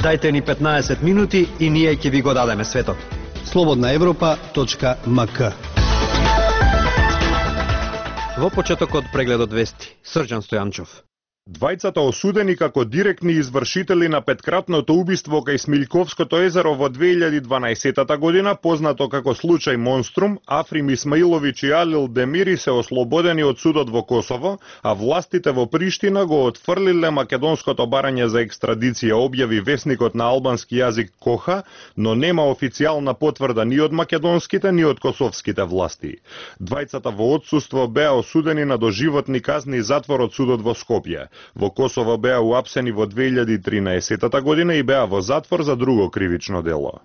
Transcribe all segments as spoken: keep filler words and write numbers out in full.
Дајте ни петнаесет минути и ние ќе ви го дадеме светот. слободна европа точка ем ка. Во почетокот прегледот вести, Срđan Стојанчов. Двајцата осудени како директни извршители на петкратното убиство кај Смилјковското езеро во две илјади и дванаесетта година, познато како случај Монструм, Африм Исмаиловиќ и Алил Демири се ослободени од судот во Косово, а властите во Приштина го отфрлиле македонското барање за екстрадиција, објави весникот на албански јазик Коха, но нема официјална потврда ни од македонските, ни од косовските власти. Двајцата во отсуство беа осудени на доживотни казни и затвор од судот во Скопје. Во Косово беа уапсени во две илјади и тринаесетта година и беа во затвор за друго кривично дело.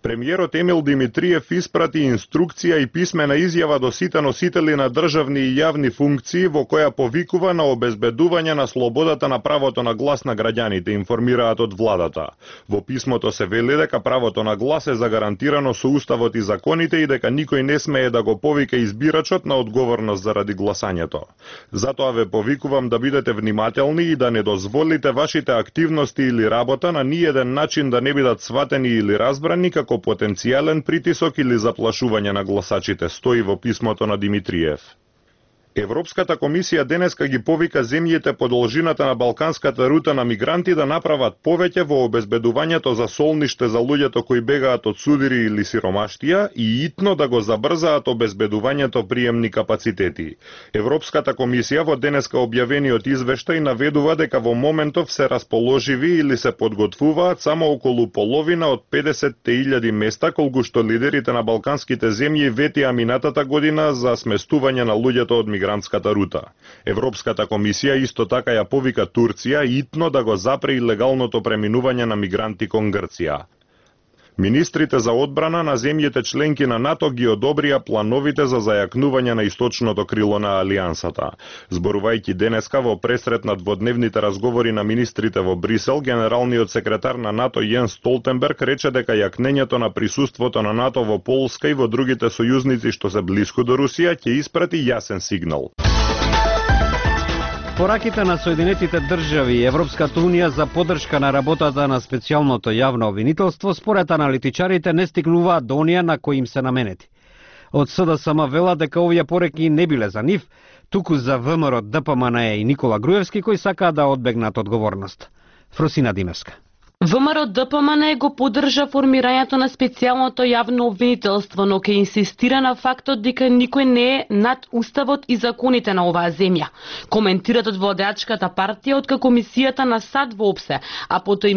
Премиерот Емил Димитриев испрати инструкција и писмена изјава до сите носители на државни и јавни функции во која повикува на обезбедување на слободата на правото на глас на граѓаните, информираат од владата. Во писмото се вели дека правото на глас е загарантирано со уставот и законите и дека никој не смее да го повика избирачот на одговорност заради гласањето. Затоа ве повикувам да бидете внимателни и да не дозволите вашите активности или работа на ниеден начин да не бидат сватени или разбрани како потенцијален притисок или заплашување на гласачите, стои во писмото на Димитриев. Европската комисија денеска ги повика земјите по должината на балканската рута на мигранти да направат повеќе во обезбедувањето за солниште за луѓето кои бегаат од судири или сиромаштија и итно да го забрзаат обезбедувањето приемни капацитети. Европската комисија во денеска објавениот извештај наведува дека во моментов се расположиви или се подготвуваат само околу половина од педесет илјади места колку што лидерите на балканските земји ветија минатата година за сместување на луѓето од мигрантската рута. Европската комисија исто така ја повика Турција итно да го запре илегалното преминување на мигранти кон Грција. Министрите за одбрана на земјите членки на НАТО ги одобрија плановите за зајакнување на источното крило на Алијансата. Зборувајќи денеска во пресрет на дводневните разговори на министрите во Брисел, генералниот секретар на НАТО Јенс Столтенберг рече дека јакнењето на присуството на НАТО во Полска и во другите сојузници што се блиску до Русија ќе испрати јасен сигнал. Пораките на Соединетите држави и Европската унија за поддршка на работата на специјалното јавно обвинителство според аналитичарите не стигнуваат до оние на кои им се наменети. Од СДСМ велат дека овие пореки не биле за нив, туку за ВМРО, ДПМНЕ и Никола Груевски кои сакаат да одбегнат одговорност. Фросина Димевска. ВМРО ДПМНЕ го поддржа формирањето на специјалното јавно обвинителство, но ке инсистира на фактот дека никој не е над уставот и законите на оваа земја. Коментират од владеачката партија откако комисијата на САД воопсе, а потоа и